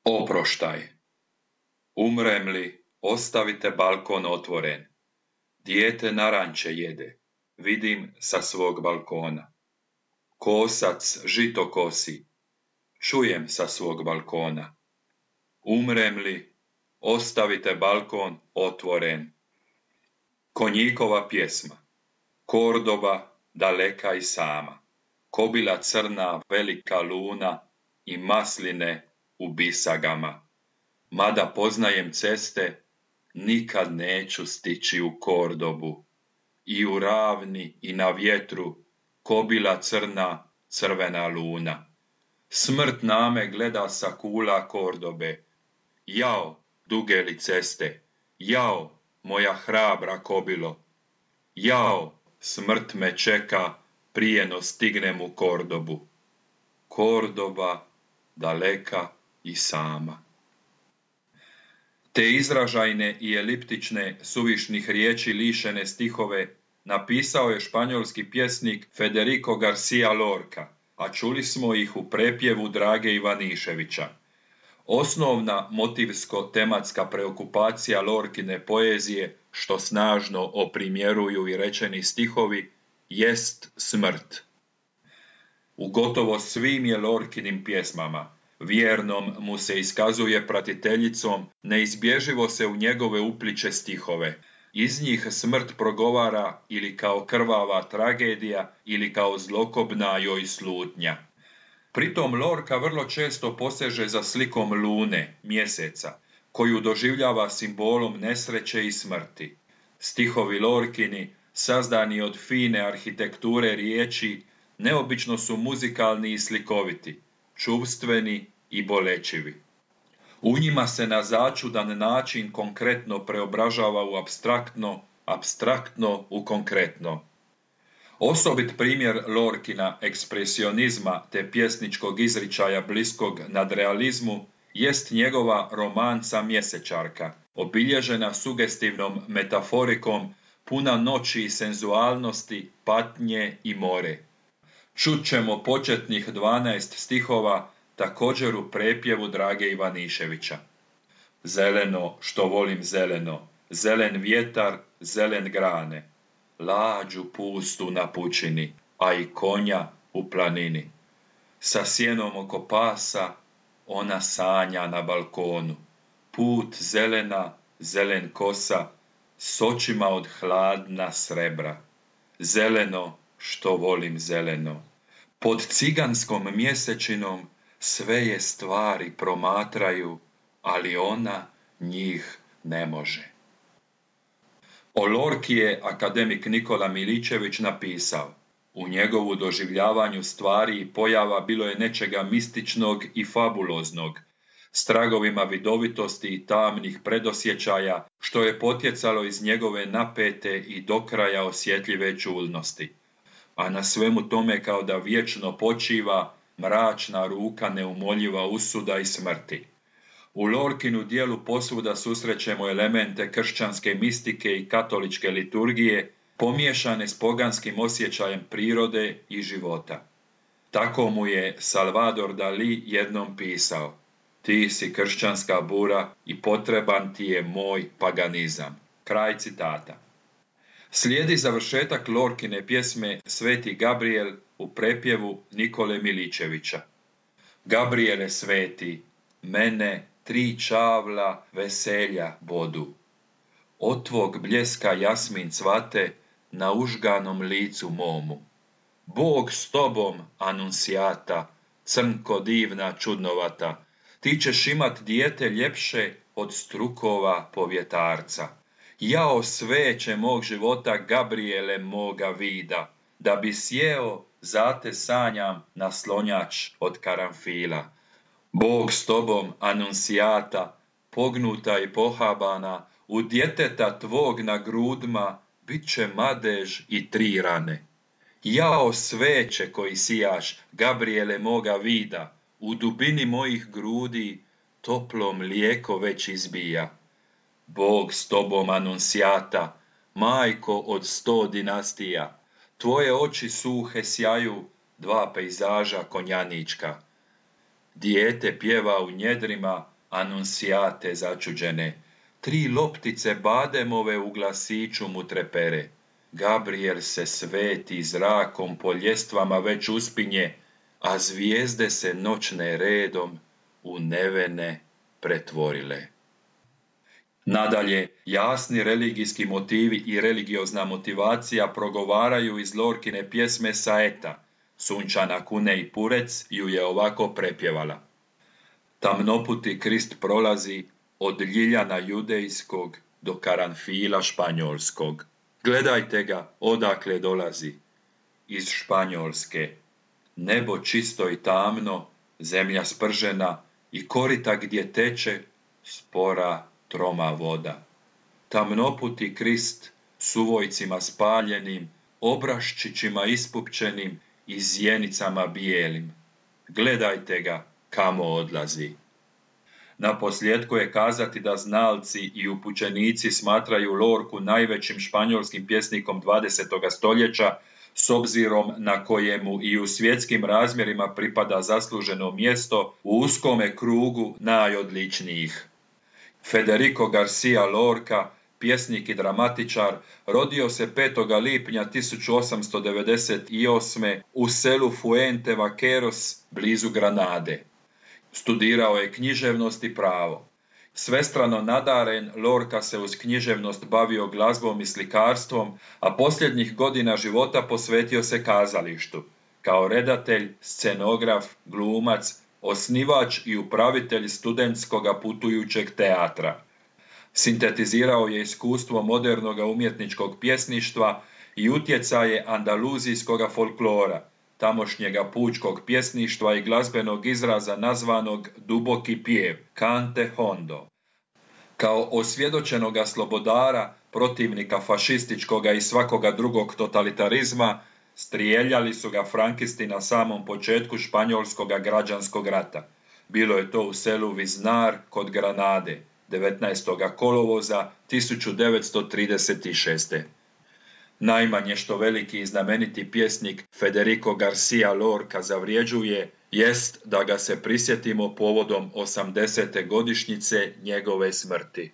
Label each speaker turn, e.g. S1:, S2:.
S1: Oproštaj. Umrem li, ostavite balkon otvoren. Dijete naranče jede, vidim sa svog balkona. Kosac žito kosi, čujem sa svog balkona. Umrem li, ostavite balkon otvoren. Konjikova pjesma. Kordoba daleka i sama. Kobila crna velika luna i masline u bisagama. Mada poznajem ceste, nikad neću stići u Kordobu. I u ravni i na vjetru kobila crna crvena luna. Smrt na me gleda sa kula Kordobe. Jao, duge li ceste, jao, moja hrabra kobilo. Jao, smrt me čeka prije no stignem u Kordobu. Kordoba daleka i sama. Te izražajne i eliptične suvišnih riječi lišene stihove napisao je španjolski pjesnik Federico García Lorca, a čuli smo ih u prepjevu Drage Ivaniševića. Osnovna motivsko-tematska preokupacija Lorkine poezije, što snažno oprimjeruju i rečeni stihovi, jest smrt. U gotovo svim je Lorkinim pjesmama, vjernom mu se iskazuje pratiteljicom, neizbježivo se u njegove upliče stihove. Iz njih smrt progovara ili kao krvava tragedija ili kao zlokobna joj slutnja. Pritom Lorca vrlo često poseže za slikom lune, mjeseca, koju doživljava simbolom nesreće i smrti. Stihovi Lorkini, sazdani od fine arhitekture riječi, neobično su muzikalni i slikoviti, čuvstveni i bolečivi. U njima se na začudan način konkretno preobražava u apstraktno, apstraktno u konkretno. Osobit primjer Lorkina ekspresionizma te pjesničkog izričaja bliskog nadrealizmu jest njegova romanca Mjesečarka, obilježena sugestivnom metaforikom, puna noći i senzualnosti, patnje i more. Čut ćemo početnih 12 stihova također u prepjevu Drage Ivaniševića. Zeleno što volim zeleno, zelen vjetar, zelen grane, lađu pustu na pučini, a i konja u planini. Sa sjenom oko pasa ona sanja na balkonu, put zelena, zelen kosa, s očima od hladna srebra. Zeleno što volim zeleno. Pod ciganskom mjesečinom sve je stvari promatraju, ali ona njih ne može. O Lorki je akademik Nikola Miličević napisao: u njegovu doživljavanju stvari i pojava bilo je nečega mističnog i fabuloznog, s tragovima vidovitosti i tamnih predosjećaja, što je potjecalo iz njegove napete i do kraja osjetljive čulnosti. A na svemu tome kao da vječno počiva mračna ruka neumoljiva usuda i smrti. U Lorkinu dijelu posvuda susrećemo elemente kršćanske mistike i katoličke liturgije, pomiješane s poganskim osjećajem prirode i života. Tako mu je Salvador Dalí jednom pisao: ti si kršćanska bura i potreban ti je moj paganizam. Kraj citata. Slijedi završetak Lorkine pjesme Sveti Gabriel u prepjevu Nikole Miličevića. Gabriele sveti, mene 3 čavla veselja bodu. Od tvog bljeska jasmin cvate na užganom licu momu. Bog s tobom, anuncijata, crnko divna čudnovata, ti ćeš imat dijete ljepše od strukova povjetarca. Jao sveće mog života, Gabriele moga vida, da bi sjeo, zate sanjam naslonjač od karanfila. Bog s tobom, anuncijata, pognuta i pohabana, u djeteta tvog na grudma bit će madež i 3 rane. Jao sveće koji sijaš, Gabriele moga vida, u dubini mojih grudi toplo mlijeko već izbija. Bog s tobom, anuncijata, majko od 100 dinastija, tvoje oči suhe sjaju, 2 pejzaža konjanička. Dijete pjeva u njedrima, Anunciate začuđene, 3 loptice bademove u glasiću mu trepere. Gabriel se sveti zrakom po ljestvama već uspinje, a zvijezde se noćne redom u nevene pretvorile. Nadalje, jasni religijski motivi i religiozna motivacija progovaraju iz Lorkine pjesme Saeta. Sunčana Kune i Purec ju je ovako prepjevala. Tamnoputi Krist prolazi od Ljiljana judejskog do Karanfila španjolskog. Gledajte ga odakle dolazi. Iz Španjolske. Nebo čisto i tamno, zemlja spržena i korita gdje teče spora troma voda. Tamnoputi Krist s uvojcima spaljenim, obraščićima ispupčenim i zjenicama bijelim. Gledajte ga kamo odlazi. Naposljetku je kazati da znalci i upućenici smatraju Lorku najvećim španjolskim pjesnikom 20. stoljeća, s obzirom na kojemu i u svjetskim razmjerima pripada zasluženo mjesto u uskome krugu najodličnijih. Federico Garcia Lorca, pjesnik i dramatičar, rodio se 5. lipnja 1898. u selu Fuente Vaqueros blizu Granade. Studirao je književnost i pravo. Svestrano nadaren, Lorca se uz književnost bavio glazbom i slikarstvom, a posljednjih godina života posvetio se kazalištu. Kao redatelj, scenograf, glumac, osnivač i upravitelj studentskoga putujućeg teatra. Sintetizirao je iskustvo modernog umjetničkog pjesništva i utjecaje andaluzijskoga folklora, tamošnjega pučkog pjesništva i glazbenog izraza nazvanog duboki pjev, cante hondo. Kao osvjedočenoga slobodara, protivnika fašističkoga i svakoga drugog totalitarizma, strijeljali su ga frankisti na samom početku španjolskoga građanskog rata. Bilo je to u selu Viznar kod Granade, 19. kolovoza 1936. Najmanje što veliki i znameniti pjesnik Federico Garcia Lorca zavrjeđuje jest da ga se prisjetimo povodom 80. godišnjice njegove smrti.